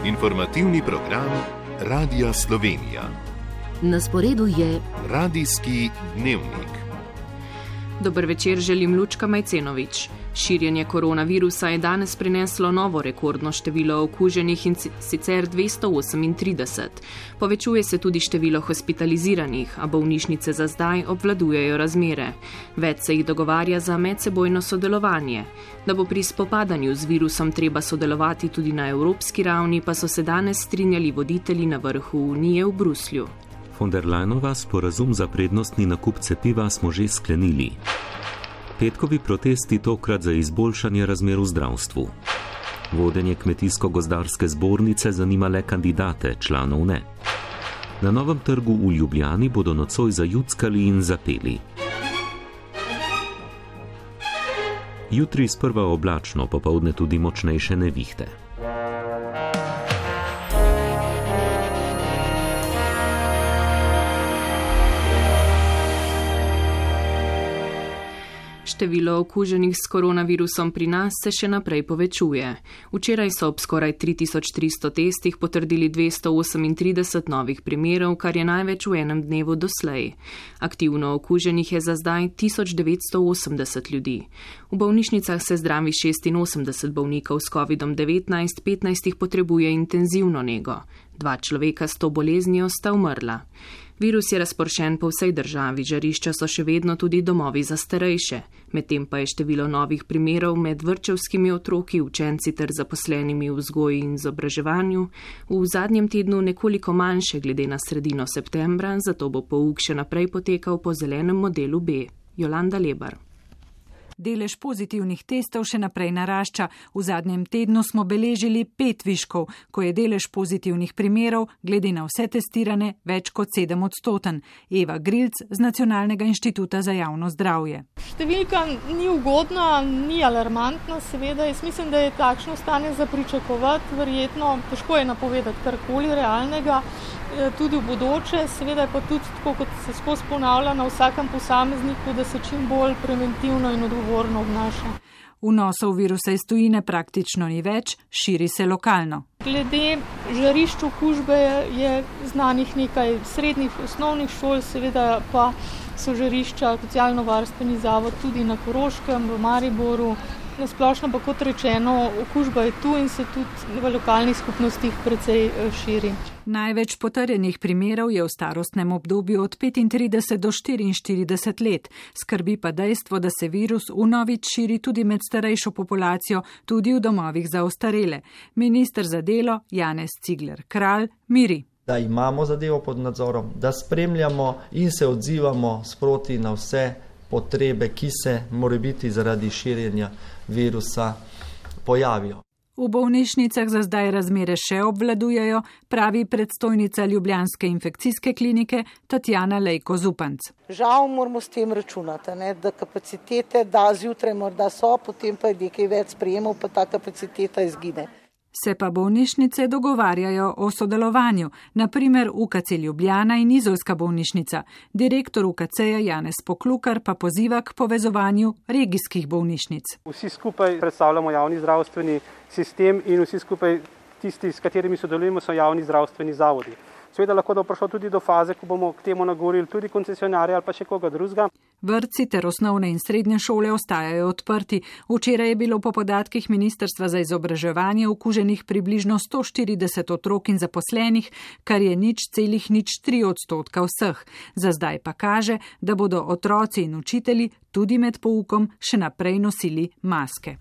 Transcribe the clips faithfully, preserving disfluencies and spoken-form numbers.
Informativni program Radia Slovenija. Na sporedu je Radijski dnevnik. Dober večer, želim Lučka Majcenovič. Širjenje koronavirusa je danes prineslo novo rekordno število okuženih in sicer dvesto osemintrideset. Povečuje se tudi število hospitaliziranih, a bolnišnice za zdaj obvladujejo razmere. Več se jih dogovarja za medsebojno sodelovanje. Da bo pri spopadanju z virusom treba sodelovati tudi na evropski ravni, pa so se danes strinjali voditelji na vrhu Unije v Bruslju. Von der Leyenova sporazum za prednostni nakup cepiva smo že sklenili. Petkovi protesti tokrat za izboljšanje razmer v zdravstvu. Vodenje kmetijsko-gozdarske zbornice zanima le kandidate, članov ne. Na Novem trgu v Ljubljani bodo nocoj zajuckali in zapeli. Jutri sprva oblačno, popoldne tudi močnejše nevihte. Število okuženih s koronavirusom pri nas se še naprej povečuje. Včeraj so ob skoraj tri tisoč tristo testih potrdili dvesto osemintrideset novih primerov, kar je največ v enem dnevu doslej. Aktivno okuženih je za zdaj tisoč devetsto osemdeset ljudi. V bolnišnicah se zdravi šestinosemdeset bolnikov s kovidom devetnajst, petnajst jih potrebuje intenzivno nego. Dva človeka s to boleznijo sta umrla. Virus je razporšen po vsej državi, žarišča so še vedno tudi domovi za starejše, medtem pa je število novih primerov med vrtčevskimi otroki, učenci ter zaposlenimi v vzgoji in izobraževanju v zadnjem tednu nekoliko manjše glede na sredino septembra, zato bo pouk še naprej potekal po zelenem modelu B. Jolanda Lebar. Delež pozitivnih testov še naprej narašča. V zadnjem tednu smo beležili pet viškov, ko je delež pozitivnih primerov, glede na vse testirane, več kot sedem odstoten. Eva Grilc z Nacionalnega inštituta za javno zdravje. Številka ni ugodna, ni alarmantna, seveda. Jaz mislim, da je takšno stanje za pričakovati, verjetno težko je napovedati karkoli realnega. Tudi v bodoče, seveda je pa tudi tako, kot se skozi ponavlja na vsakem posamezniku, da se čim bolj preventivno in odgovorno obnaša. Vnosov virusa iz tujine praktično ni več, širi se lokalno. Glede žarišč okužbe je znanih nekaj srednjih osnovnih šol, seveda pa so žarišča socialno-varstveni zavod tudi na Koroškem, v Mariboru. Na splošno pa kot rečeno, okužba je tu in se tudi v lokalnih skupnostih precej širi. Največ potrjenih primerov je v starostnem obdobju od petintrideset do štiriinštirideset let. Skrbi pa dejstvo, da se virus vnovič širi tudi med starejšo populacijo, tudi v domovih za ostarele. Minister za delo Janez Cigler Kralj miri. Da imamo zadevo pod nadzorom, da spremljamo in se odzivamo sproti na vse potrebe, ki se morebiti zaradi širjenja virusa pojavijo. V bolnišnicah za zdaj razmere še obvladujejo, pravi predstojnica ljubljanske infekcijske klinike Tatjana Lejko Zupanc. Žal moramo s tem računati, ne, da kapacitete da zjutraj morda so, potem pa je nekaj več sprejemov, pa ta kapaciteta izgine. Se pa bolnišnice dogovarjajo o sodelovanju, naprimer U K C Ljubljana in Izolska bolnišnica. Direktor U K C-ja Janez Poklukar pa poziva k povezovanju regijskih bolnišnic. Vsi skupaj predstavljamo javni zdravstveni sistem in vsi skupaj tisti, s katerimi sodelujemo, so javni zdravstveni zavodi. Seveda lahko da prišlo tudi do faze, ko bomo k temu nagovorili tudi koncesionarje ali pa še koga drugega. Vrtci ter osnovne in srednje šole ostajajo odprti. Včeraj je bilo po podatkih Ministrstva za izobraževanje okuženih približno sto štirideset otrok in zaposlenih, kar je nič celih nič tri odstotka vseh. Za zdaj pa kaže, da bodo otroci in učitelji tudi med poukom še naprej nosili maske.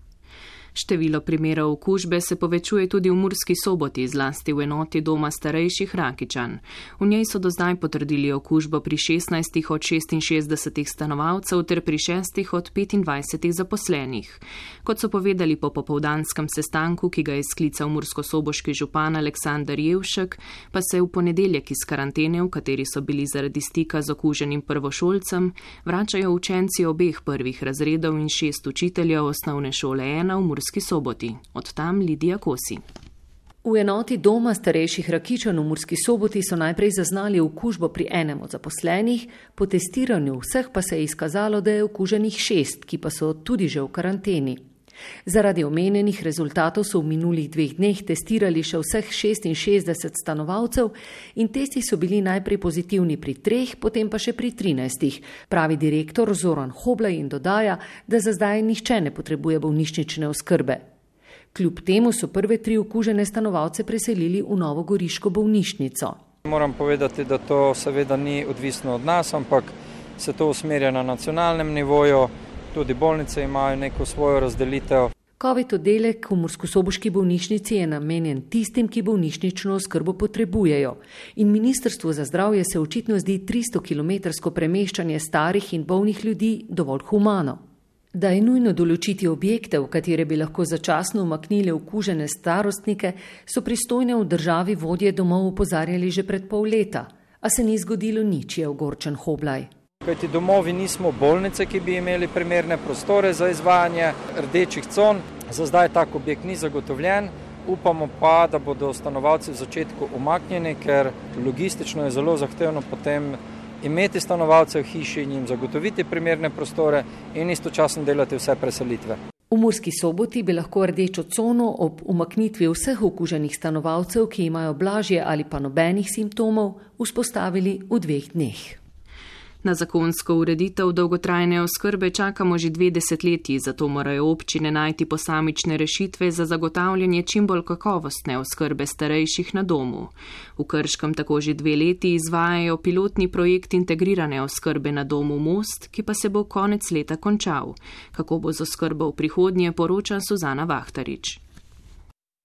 Število primerov okužbe se povečuje tudi v Murski Soboti, zlasti v enoti doma starejših Rakičan. V njej so do zdaj potrdili okužbo pri šestnajstih od šestinšestdesetih stanovalcev ter pri šestih od petindvajsetih zaposlenih. Kot so povedali po popoldanskem sestanku, ki ga je sklical murskosoboški župan Aleksander Jevšek, pa se v ponedeljek iz karantene, v kateri so bili zaradi stika z okuženim prvošolcem, vračajo učenci obeh prvih razredov in šest učiteljev osnovne šole ena v Murski Soboti. Od tam Lidija Kosi. V enoti doma starejših Rakičan v Murski Soboti so najprej zaznali okužbo pri enem od zaposlenih, po testiranju vseh pa se je izkazalo, da je okuženih šest, ki pa so tudi že v karanteni. Zaradi omenjenih rezultatov so v minulih dveh dneh testirali še vseh šestinšestdeset stanovalcev in testi so bili najprej pozitivni pri treh, potem pa še pri trinajstih, pravi direktor Zoran Hoblaj in dodaja, da za zdaj nihče ne potrebuje bolnišnične oskrbe. Kljub temu so prve tri okužene stanovalce preselili v novogoriško bolnišnico. Moram povedati, da to seveda ni odvisno od nas, ampak se to usmerja na nacionalnem nivoju. Tudi bolnice imajo neko svojo razdelitev. Covid oddelek v murskosoboški bolnišnici je namenjen tistim, ki bolnišnično oskrbo potrebujejo. In Ministrstvu za zdravje se očitno zdi tristokilometrsko premeščanje starih in bolnih ljudi dovolj humano. Da je nujno določiti objekte, v katere bi lahko začasno umaknili okužene starostnike, so pristojne v državi vodje domov opozarjali že pred pol leta. A se ni zgodilo nič, je ogorčen Hoblaj. Kajti domovi nismo bolnice, ki bi imeli primerne prostore za izvajanje rdečih con. Za zdaj tak objekt ni zagotovljen. Upamo pa, da bodo stanovalci v začetku umaknjeni, ker logistično je zelo zahtevno potem imeti stanovalce v hiši in jim zagotoviti primerne prostore in istočasno delati vse preselitve. V Murski Soboti bi lahko rdečo cono ob umaknitvi vseh okuženih stanovalcev, ki imajo blažje ali pa nobenih simptomov, vzpostavili v dveh dneh. Na zakonsko ureditev dolgotrajne oskrbe čakamo že dve desetletji, zato morajo občine najti posamične rešitve za zagotavljanje čim bolj kakovostne oskrbe starejših na domu. V Krškem tako že dve leti izvajajo pilotni projekt integrirane oskrbe na domu Most, ki pa se bo konec leta končal. Kako bo z oskrbo v prihodnje, poroča Suzana Vahtarič.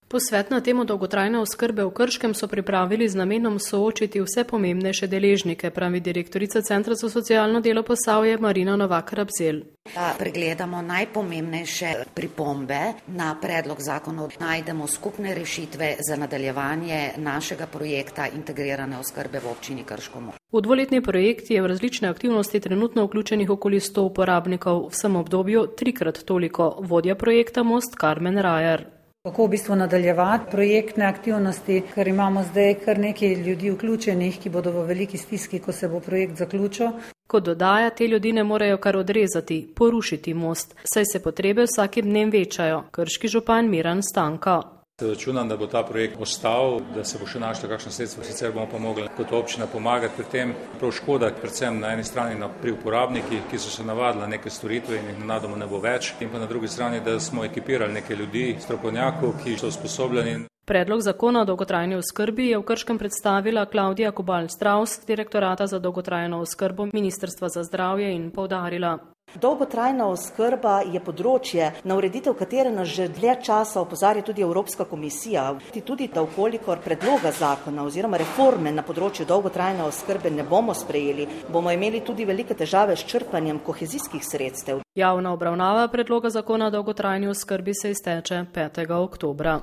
Posvet na temo dolgotrajne oskrbe v Krškem so pripravili z namenom soočiti vse pomembnejše deležnike, pravi direktorica Centra za socialno delo Posavje Marina Novak-Rabzel. Da pregledamo najpomembnejše pripombe na predlog zakonov, najdemo skupne rešitve za nadaljevanje našega projekta integrirane oskrbe v občini Krško. V dvoletni projekt je v različne aktivnosti trenutno vključenih okoli sto uporabnikov, v vsem obdobju trikrat toliko, vodja projekta Most Karmen Rajar. Kako v bistvu nadaljevati projektne aktivnosti, ker imamo zdaj kar nekaj ljudi vključenih, ki bodo v veliki stiski, ko se bo projekt zaključil. Kot dodaja, te ljudi ne morejo kar odrezati, porušiti most, saj se potrebe vsakim dnem večajo. Krški župan Miran Stanka. Računam, da bo ta projekt ostal, da se bo še našlo kakšno sredstvo, sicer bomo pa mogli kot občina pomagati pri tem. Prav škoda, predvsem na eni strani pri uporabnikih, ki so se navadili na neke storitve in jih nenadoma ne bo več, in pa na drugi strani, da smo ekipirali nekaj ljudi, strokovnjakov, ki so usposobljeni. Predlog zakona o dolgotrajni oskrbi je v Krškem predstavila Klaudija Kobal-Straus, direktorata za dolgotrajno oskrbo Ministrstva za zdravje, in poudarila. Dolgotrajna oskrba je področje, na ureditev katere nas že dlje časa opozarja tudi Evropska komisija. Tudi da vkolikor predloga zakona oziroma reforme na področju dolgotrajne oskrbe ne bomo sprejeli, bomo imeli tudi velike težave s črpanjem kohezijskih sredstev. Javna obravnava predloga zakona o dolgotrajni oskrbi se izteče petega oktobra.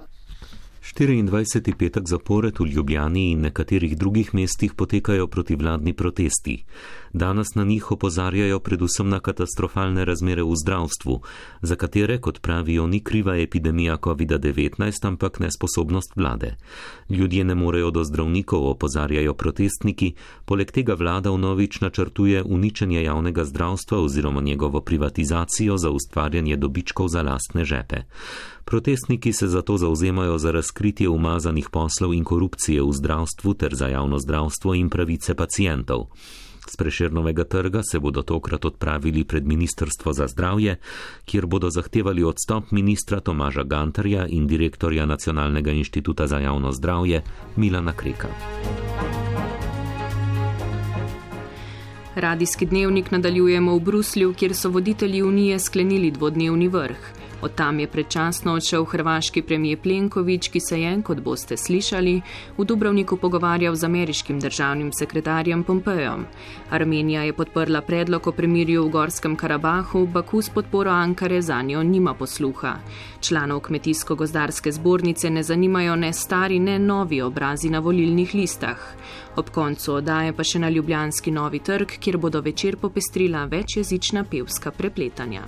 štiriindvajseti petek zapored v Ljubljani in nekaterih drugih mestih potekajo protivladni protesti. Danes na njih opozarjajo predvsem na katastrofalne razmere v zdravstvu, za katere, kot pravijo, ni kriva epidemija kovida devetnajst, ampak nesposobnost vlade. Ljudje ne morejo do zdravnikov, opozarjajo protestniki, poleg tega vlada vnovič načrtuje uničenje javnega zdravstva oziroma njegovo privatizacijo za ustvarjanje dobičkov za lastne žepe. Protestniki se zato zauzemajo za razkritje umazanih poslov in korupcije v zdravstvu ter za javno zdravstvo in pravice pacientov. Z Prešernovega trga se bodo tokrat odpravili pred Ministrstvo za zdravje, kjer bodo zahtevali odstop ministra Tomaža Gantarja in direktorja Nacionalnega inštituta za javno zdravje Milana Kreka. Radijski dnevnik nadaljujemo v Bruslju, kjer so voditelji Unije sklenili dvodnevni vrh. Od tam je predčasno odšel hrvaški premijer Plenković, ki se je, kot boste slišali, v Dubrovniku pogovarjal z ameriškim državnim sekretarjem Pompejem. Armenija je podprla predlog o premirju v Gorskem Karabahu, Baku s podporo Ankare zanjo nima posluha. Članov Kmetijsko-gozdarske zbornice ne zanimajo ne stari, ne novi obrazi na volilnih listah. Ob koncu oddaje pa še na ljubljanski Novi trg, kjer bodo večer popestrila večjezična pevska prepletanja.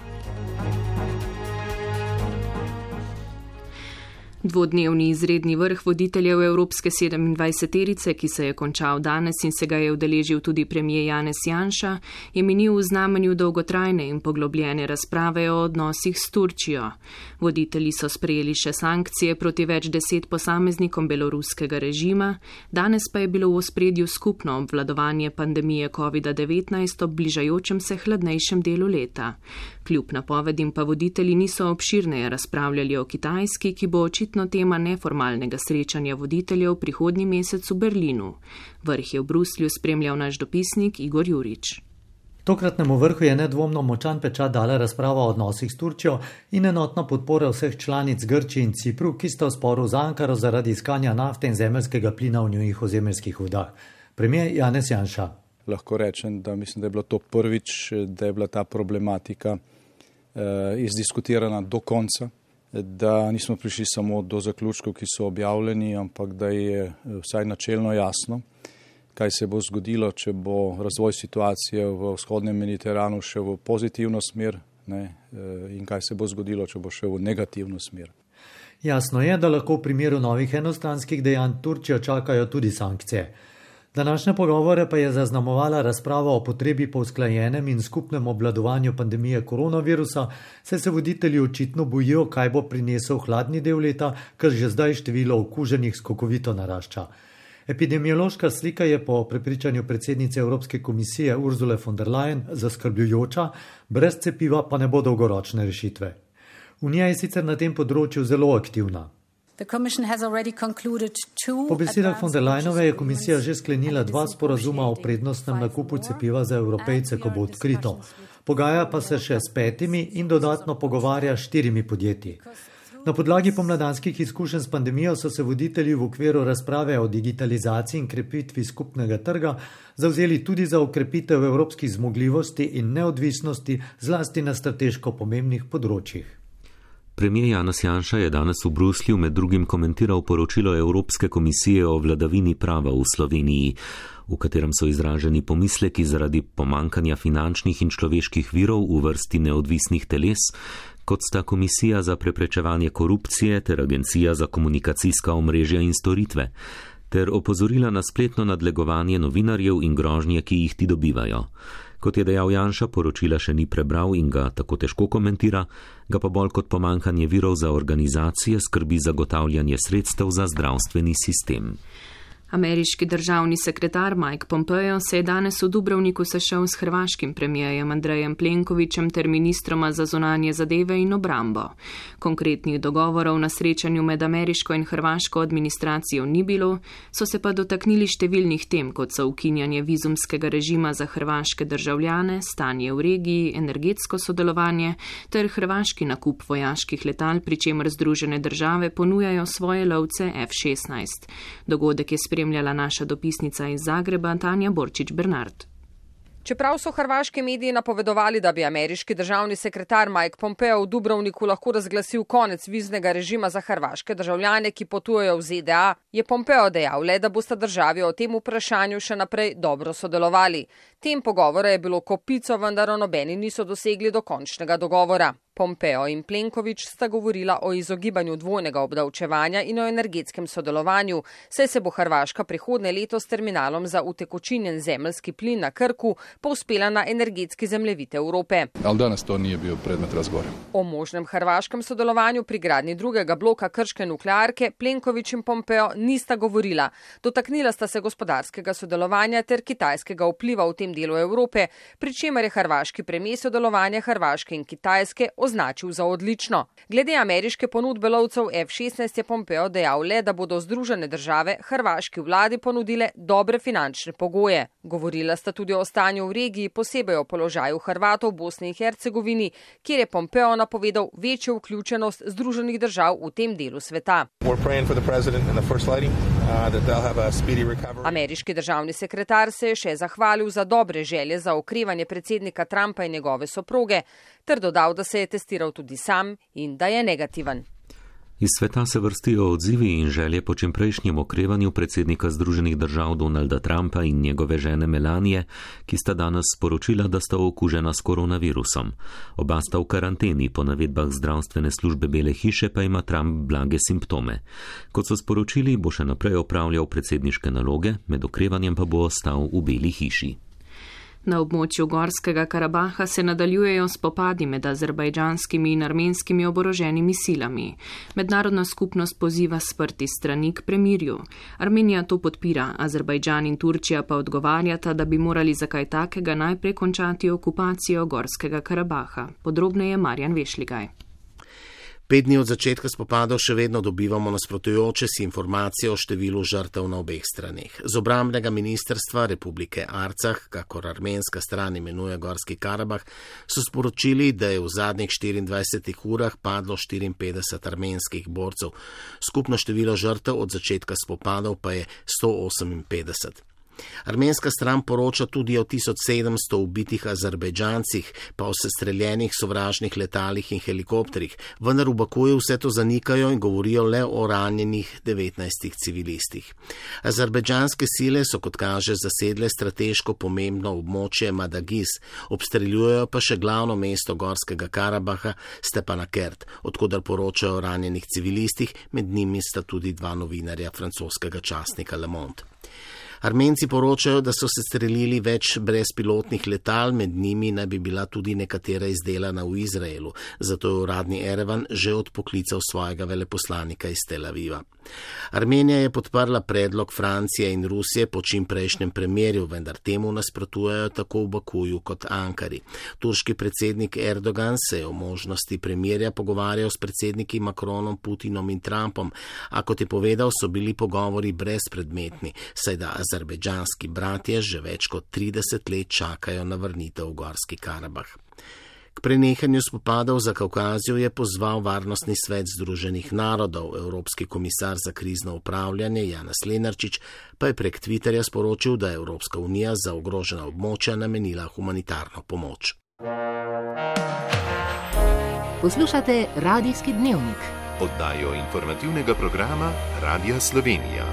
Dvodnevni izredni vrh voditeljev Evropske sedemindvajseterice, ki se je končal danes in se ga je udeležil tudi premijer Janez Janša, je minil v znamenju dolgotrajne in poglobljene razprave o odnosih s Turčijo. Voditelji so sprejeli še sankcije proti več deset posameznikom beloruskega režima, danes pa je bilo v ospredju skupno obvladovanje pandemije covid devetnajst ob bližajočem se hladnejšem delu leta. Kljub napovedim pa voditelji niso obširneje razpravljali o Kitajski, ki bo očitno tema neformalnega srečanja voditeljev prihodnji mesec v Berlinu. Vrh je v Bruslju spremljal naš dopisnik Igor Jurič. Tokratnemu vrhu je nedvomno močan pečat dala razprava o odnosih s Turčijo in enotna podpora vseh članic Grčije in Cipru, ki sta v sporu z Ankaro zaradi iskanja nafte in zemeljskega plina v njunih ozemeljskih vodah. Premijer Janez Janša. Lahko rečem, da mislim, da je bilo to prvič, da je bila ta problematika eh, izdiskutirana do konca, da nismo prišli samo do zaključkov, ki so objavljeni, ampak da je vsaj načelno jasno, kaj se bo zgodilo, če bo razvoj situacije v vzhodnem Mediteranu šel v pozitivno smer, ne, in kaj se bo zgodilo, če bo šel v negativno smer. Jasno je, da lahko v primeru novih enostranskih dejanj Turčijo čakajo tudi sankcije. Današnje pogovore pa je zaznamovala razprava o potrebi po usklajenem in skupnem obvladovanju pandemije koronavirusa, saj se voditelji očitno bojijo, kaj bo prinesel hladni del leta, ker že zdaj število okuženih skokovito narašča. Epidemiološka slika je po prepričanju predsednice Evropske komisije Ursule von der Leyen zaskrbljujoča, brez cepiva pa ne bo dolgoročne rešitve. Unija je sicer na tem področju zelo aktivna. Po besedah von der Leyenove je komisija že sklenila dva sporazuma o prednostnem nakupu cepiva za Evropejce, ko bo odkrito. Pogaja pa se še s petimi in dodatno pogovarja s štirimi podjetji. Na podlagi pomladanskih izkušenj s pandemijo so se voditelji v okviru razprave o digitalizaciji in krepitvi skupnega trga zavzeli tudi za okrepitev evropskih zmogljivosti in neodvisnosti, zlasti na strateško pomembnih področjih. Premijer Janez Janša je danes v Bruslju med drugim komentiral poročilo Evropske komisije o vladavini prava v Sloveniji, v katerem so izraženi pomisleki zaradi pomankanja finančnih in človeških virov v vrsti neodvisnih teles, kot sta Komisija za preprečevanje korupcije ter Agencija za komunikacijska omrežja in storitve, ter opozorila na spletno nadlegovanje novinarjev in grožnje, ki jih ti dobivajo. Kot je dejal Janša, poročila še ni prebral in ga tako težko komentira, ga pa bolj kot pomankanje virov za organizacije skrbi zagotavljanje sredstev za zdravstveni sistem. Ameriški državni sekretar Mike Pompeo se je danes v Dubrovniku sešel s hrvaškim premijerjem Andrejem Plenkovićem ter ministroma za zunanje zadeve in obrambo. Konkretnih dogovorov na srečanju med ameriško in hrvaško administracijo ni bilo, so se pa dotaknili številnih tem, kot so ukinjanje vizumskega režima za hrvaške državljane, stanje v regiji, energetsko sodelovanje ter hrvaški nakup vojaških letal, pri čemer Združene države ponujajo svoje lovce F šestnajst. Dogodek je spremljala naša dopisnica iz Zagreba Tanja Borčič Bernard. Čeprav so hrvaški mediji napovedovali, da bi ameriški državni sekretar Mike Pompeo v Dubrovniku lahko razglasil konec viznega režima za hrvaške državljane, ki potujejo v Z D A, je Pompeo dejal le, da bosta državi o tem vprašanju še naprej dobro sodelovali. Tem pogovora je bilo kopico, vendar nobeni niso dosegli dokončnega dogovora. Pompeo in Plenković sta govorila o izogibanju dvojnega obdavčevanja in o energetskem sodelovanju, saj se bo Hrvaška prihodnje leto s terminalom za utekočinjen zemeljski plin na Krku povzpela na energetski zemljevid Evrope. Ali danes to nije bil predmet razgovora. O možnem hrvaškem sodelovanju pri gradnji drugega bloka krške nuklearke Plenković in Pompeo nista govorila. Dotaknila sta se gospodarskega sodelovanja ter kitajskega vpliva v tem delu Evrope, pri čemer je hrvaški premijer sodelovanje Hrvaške in Kitajske označil za odlično. Glede ameriške ponudbe lovcev F šestnajst je Pompeo dejal le, da bodo Združene države hrvaški vladi ponudile dobre finančne pogoje. Govorila sta tudi o stanju v regiji, posebej o položaju Hrvatov v Bosni in Hercegovini, kjer je Pompeo napovedal večjo vključenost Združenih držav v tem delu sveta. Ameriški državni sekretar se je še zahvalil za dobre želje za okrevanje predsednika Trumpa in njegove soproge, ter dodal, da se je testiral tudi sam in da je negativen. Iz sveta se vrstijo odzivi in želje po čimprejšnjem okrevanju predsednika Združenih držav Donalda Trumpa in njegove žene Melanije, ki sta danes sporočila, da sta okužena s koronavirusom. Oba sta v karanteni, po navedbah zdravstvene službe Bele hiše pa ima Trump blage simptome. Kot so sporočili, bo še naprej opravljal predsedniške naloge, med okrevanjem pa bo ostal v Beli hiši. Na območju Gorskega Karabaha se nadaljujejo spopadi med azerbajdžanskimi in armenskimi oboroženimi silami. Mednarodna skupnost poziva sprti strani k premirju. Armenija to podpira, Azerbajdžan in Turčija pa odgovarjata, da bi morali za kaj takega najprej končati okupacijo Gorskega Karabaha. Podrobneje Marjan Vešligaj. Pet dni od začetka spopadov še vedno dobivamo nasprotujoče si informacije o številu žrtev na obeh straneh. Z obrambnega ministrstva Republike Arcah, kakor armenska stran imenuje Gorski Karabah, so sporočili, da je v zadnjih štiriindvajsetih urah padlo štiriinpetdeset armenskih borcev. Skupno število žrtev od začetka spopadov pa je sto oseminpetdeset. Armenska stran poroča tudi o tisoč sedemsto ubitih Azerbajdžancih, pa o sestreljenih sovražnih letalih in helikopterjih, vendar v Bakuju vse to zanikajo in govorijo le o ranjenih devetnajstih civilistih. Azerbajdžanske sile so, kot kaže, zasedle strateško pomembno območje Madagis, obstreljujejo pa še glavno mesto Gorskega Karabaha, Stepanakert, odkudar poročajo o ranjenih civilistih, med njimi sta tudi dva novinarja francoskega časnika Le Monde. Armenci poročajo, da so se strelili več brezpilotnih letal, med njimi naj bi bila tudi nekatera izdelana v Izraelu, zato je uradni Erevan že odpoklical svojega veleposlanika iz Tel Aviva. Armenija je podprla predlog Francije in Rusije po čimprejšnjem premirju, vendar temu nasprotujejo tako v Bakuju kot Ankari. Turški predsednik Erdogan se je o možnosti premirja pogovarjal s predsedniki Macronom, Putinom in Trumpom, a kot je povedal, so bili pogovori brezpredmetni, saj da azerbajdžanski bratje že več kot trideset let čakajo na vrnitev v Gorski Karabah. K prenehanju spopadov za Kavkazijo je pozval Varnostni svet Združenih narodov. Evropski komisar za krizno upravljanje Janez Lenarčič pa je prek Twitterja sporočil, da je Evropska unija za ogrožena območja namenila humanitarno pomoč. Poslušate Radijski dnevnik. Oddajo informativnega programa Radija Slovenija.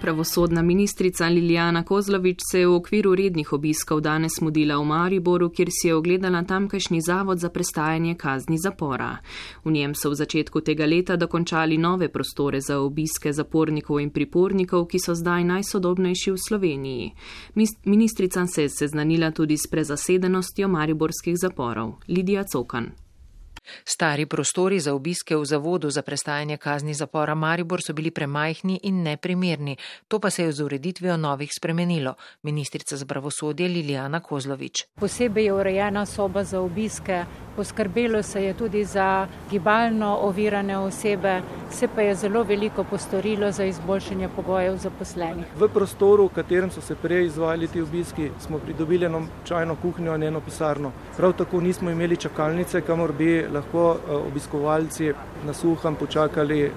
Pravosodna ministrica Lilijana Kozlovič se je v okviru rednih obiskov danes mudila v Mariboru, kjer si je ogledala tamkajšnji zavod za prestajanje kazni zapora. V njem so v začetku tega leta dokončali nove prostore za obiske zapornikov in pripornikov, ki so zdaj najsodobnejši v Sloveniji. Ministrica se je seznanila tudi s prezasedenostjo mariborskih zaporov. Lidija Cokan. Stari prostori za obiske v zavodu za prestajanje kazni zapora Maribor so bili premajhni in neprimerni. To pa se je z ureditvijo novih spremenilo. Ministrica za pravosodje Lilijana Kozlovič. Posebej je urejena soba za obiske, poskrbelo se je tudi za gibalno ovirane osebe, se pa je zelo veliko postorilo za izboljšanje pogojev zaposlenih. V prostoru, v katerem so se prej izvajali ti obiski, smo pridobili eno čajno kuhinjo in eno pisarno. Prav tako nismo imeli čakalnice, kamor bi lahko obiskovalci na suhem počakali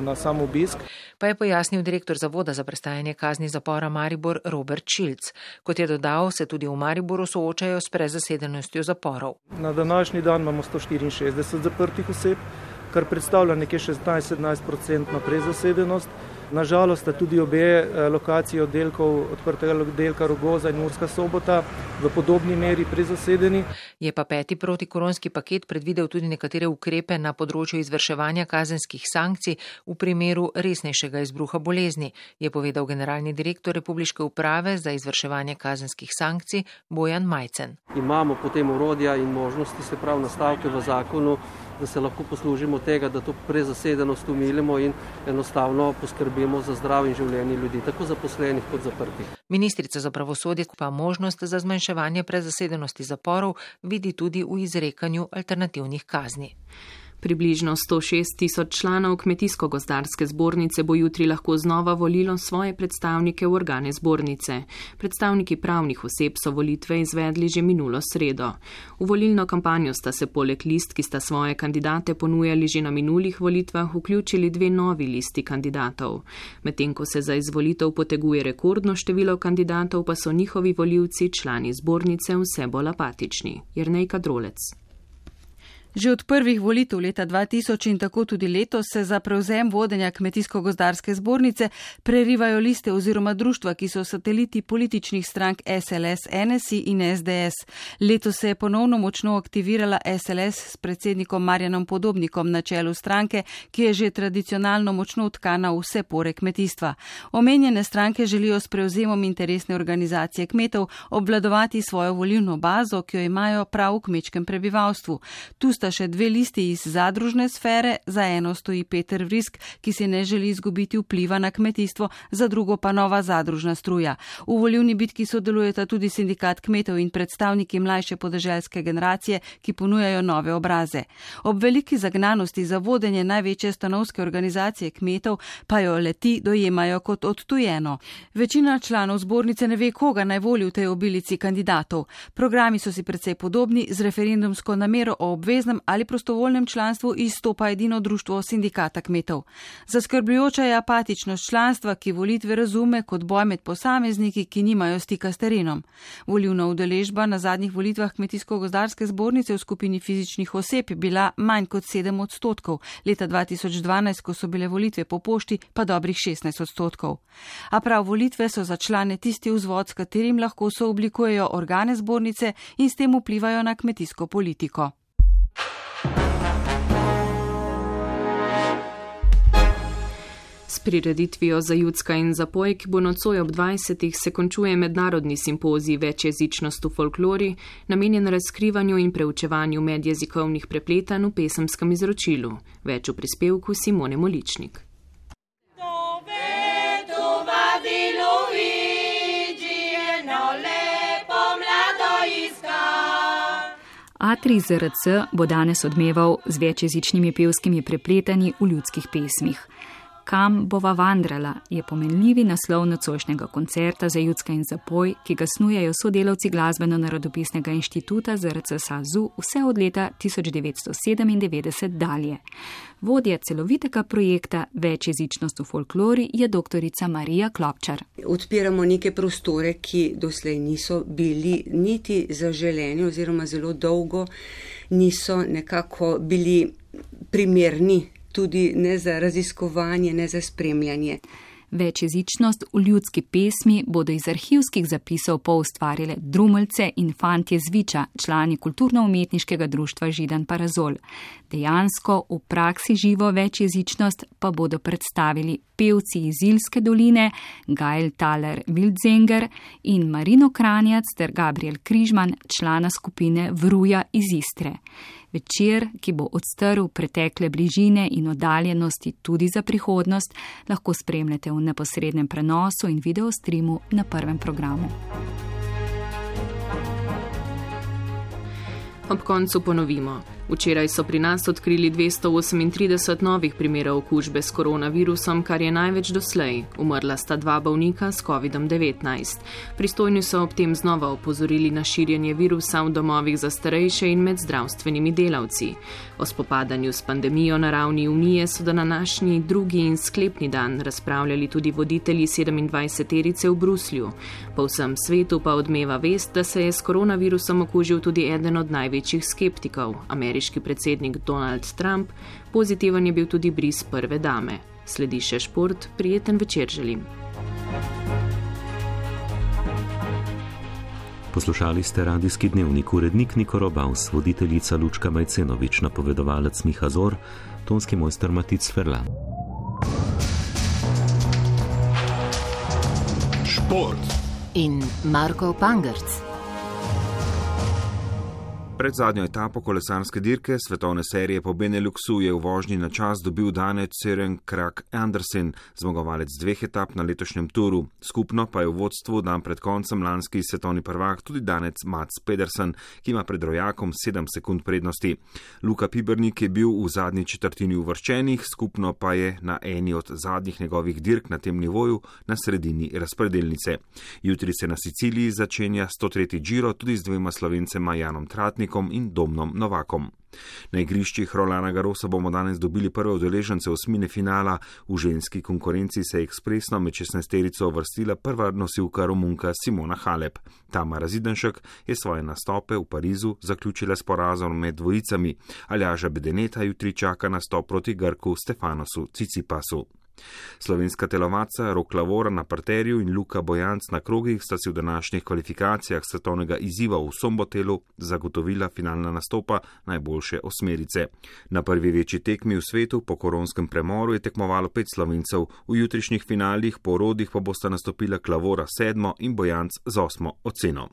na sam obisk. Pa je pojasnil direktor Zavoda za prestajanje kazni zapora Maribor Robert Šilc. Kot je dodal, se tudi v Mariboru soočajo s prezasedenostjo zaporov. Na današnji dan imamo sto štiriinšestdeset zaprtih oseb, kar predstavlja nekje šestnajst do sedemnajst odstotkov prezasedenost. Nažalost sta tudi obe lokaciji oddelkov, odprtega oddelka Rogoza in Murska Sobota v podobni meri prezasedeni. Je pa peti protikoronski paket predvidel tudi nekatere ukrepe na področju izvrševanja kazenskih sankcij v primeru resnejšega izbruha bolezni, je povedal generalni direktor Republiške uprave za izvrševanje kazenskih sankcij Bojan Majcen. Imamo potem orodja in možnosti, se pravi nastavke v zakonu, da se lahko poslužimo tega, da to prezasedenost umilimo in enostavno poskrbimo za zdrav in življenje ljudi, tako zaposlenih kot zaprtih. Ministrica za pravosodje pa možnost za zmanjševanje prezasedenosti zaporov vidi tudi v izrekanju alternativnih kazni. Približno sto šest tisoč članov Kmetijsko-gozdarske zbornice bo jutri lahko znova volilo svoje predstavnike v organe zbornice. Predstavniki pravnih oseb so volitve izvedli že minulo sredo. V volilno kampanjo sta se poleg list, ki sta svoje kandidate ponujali že na minulih volitvah, vključili dve novi listi kandidatov. Medtem ko se za izvolitev poteguje rekordno število kandidatov, pa so njihovi volivci, člani zbornice, vse bolj apatični. Jernej Kadrolec. Že od prvih volitev leta dva tisoč in tako tudi letos se za prevzem vodenja Kmetijsko-gozdarske zbornice prerivajo liste oziroma društva, ki so sateliti političnih strank S L S, N S I in S D S. Letos se je ponovno močno aktivirala S L S s predsednikom Marjanom Podobnikom na čelu stranke, ki je že tradicionalno močno utkana v vse pore kmetijstva. Omenjene stranke želijo s prevzemom interesne organizacije kmetov obvladovati svojo volilno bazo, ki jo imajo prav v kmečkem prebivalstvu. Tu sta še dve listi iz zadružne sfere, za eno stoji Peter Vrisk, ki si ne želi izgubiti vpliva na kmetijstvo, za drugo pa nova zadružna struja. V volilni bitki sodelujeta tudi sindikat kmetov in predstavniki mlajše podeželske generacije, ki ponujajo nove obraze. Ob veliki zagnanosti za vodenje največje stanovske organizacije kmetov pa jo leti dojemajo kot odtujeno. Večina članov zbornice ne ve, koga naj voli v tej obilici kandidatov. Programi so si precej podobni, z referendumsko namero o obveznem ali prostovoljnem članstvu izstopa edino društvo sindikata kmetov. Zaskrbljujoča je apatičnost članstva, ki volitve razume kot boj med posamezniki, ki nimajo stika s terenom. Volilna udeležba na zadnjih volitvah Kmetijsko-gozdarske zbornice v skupini fizičnih oseb je bila manj kot sedem odstotkov, leta dva tisoč dvanajst, ko so bile volitve po pošti, pa dobrih šestnajst odstotkov. A prav volitve so za člane tisti vzvod, s katerim lahko sooblikujejo organe zbornice in s tem vplivajo na kmetijsko politiko. S prireditvijo Za Judska in Zapoj, ki bo nocoj ob dvajsetih, se končuje mednarodni simpozij Večjezičnost v folklori, namenjen razkrivanju in preučevanju medjezikovnih prepletanj v pesemskem izročilu. Več v prispevku Simone Moličnik. Atrij Z R C bo danes odmeval z večjezičnimi pevskimi prepletanji v ljudskih pesmih. Kam bova vandrala je pomenljivi naslov nocojšnjega koncerta Za Judska in Zapoj, ki ga snujejo sodelavci Glasbeno-narodopisnega inštituta Z R C SAZU vse od leta tisoč devetsto sedemindevetdeset dalje. Vodja celovitega projekta Večjezičnost v folklori je doktorica Marija Klopčar. Odpiramo neke prostore, ki doslej niso bili niti zaželeni oziroma zelo dolgo niso nekako bili primerni tudi ne za raziskovanje, ne za spremljanje. Večjezičnost v ljudski pesmi bodo iz arhivskih zapisov poustvarile Drumeljce in Fantje z Viča, člani kulturno-umetniškega društva Židan Parazol. Dejansko v praksi živo večjezičnost pa bodo predstavili pevci iz Ilske doline, Gail Thaler Wildzenger in Marino Kranjac ter Gabriel Križman, člana skupine Vruja iz Istre. Večer, ki bo odstrl pretekle bližine in oddaljenosti tudi za prihodnost, lahko spremljate v neposrednem prenosu in videostreamu na prvem programu. Ob koncu ponovimo. Včeraj so pri nas odkrili dvesto osemintrideset novih primerov okužbe s koronavirusom, kar je največ doslej. Umrla sta dva bolnika s kovidom devetnajst. Pristojni so ob tem znova opozorili na širjenje virusa v domovih za starejše in med zdravstvenimi delavci. O spopadanju s pandemijo na ravni Unije so na današnji drugi in sklepni dan razpravljali tudi voditelji sedemindvajseterice v Bruslju. Po vsem svetu pa odmeva vest, da se je s koronavirusom okužil tudi eden od največjih skeptikov, ameriški predsednik Donald Trump. Pozitiven je bil tudi bris prve dame. Sledi še šport, prijeten večer želim. Poslušali ste radijski dnevnik, urednik Niko Robaus, voditeljica Lučka Majcenovič, napovedovalec Miha Zor, tonski mojster Matic Ferlan. Šport in Marko Pangerc. Pred zadnjo etapo kolesarske dirke svetovne serije po Beneluxu je v vožnji na čas dobil danec Søren Kragh Andersen, zmagovalec dveh etap na letošnjem turu. Skupno pa je v vodstvu dan pred koncem lanski svetovni prvak tudi danec Mats Pedersen, ki ima pred rojakom sedem sekund prednosti. Luka Pibernik je bil v zadnji četrtini uvrščenih, skupno pa je na eni od zadnjih njegovih dirk na tem nivoju na sredini razpredelnice. Jutri se na Siciliji začenja sto tretji Giro tudi z dvema Slovencema Janom Tratnikom in Domnom Novakom. Na igriščih Rolana Garrosa bomo danes dobili prve udeležence osmine finala. V ženski konkurenci se je ekspresno med šestnajsterico uvrstila prva nosilka Romunka Simona Halep. Tamara Zidanšek je svoje nastope v Parizu zaključila s porazom med dvojicami. Aljaža Bedeneta jutri čaka nastop proti Grku Stefanosu Tsitsipasu. Slovenska telovadca Rok Lavora na parterju in Luka Bojanc na krogih sta si v današnjih kvalifikacijah svetovnega izziva v Sombotelu zagotovila finalna nastopa najboljše osmerice. Na prvi večji tekmi v svetu po koronskem premoru je tekmovalo pet Slovencev, v jutrišnjih finalih po orodjih pa bosta nastopila Lavora sedmo in Bojanc z osmo oceno.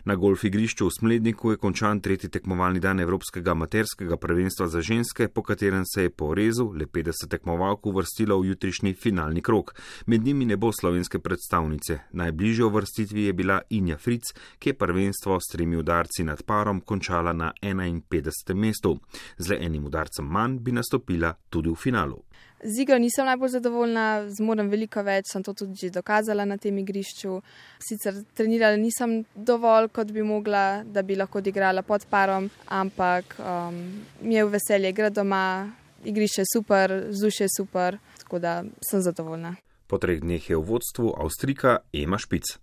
Na golf igrišču v Smledniku je končan tretji tekmovalni dan Evropskega amaterskega prvenstva za ženske, po katerem se je po rezu le petdeset tekmovalk uvrstilo v jutrišnji finalni krog. Med njimi ne bo slovenske predstavnice. Najbližje uvrstitvi je bila Inja Fric, ki je prvenstvo s tremi udarci nad parom končala na enainpetdesetem mestu. Z le enim udarcem manj bi nastopila tudi v finalu. Z igro nisem najbolj zadovoljna, zmorem veliko več, sem to tudi že dokazala na tem igrišču. Sicer trenirala nisem dovolj, kot bi mogla, da bi lahko odigrala pod parom, ampak um, mi je v veselje igrati doma, igrišče je super, vzdušje je super, tako da sem zadovoljna. Po treh dneh je v vodstvu Avstrijka Ema Špic.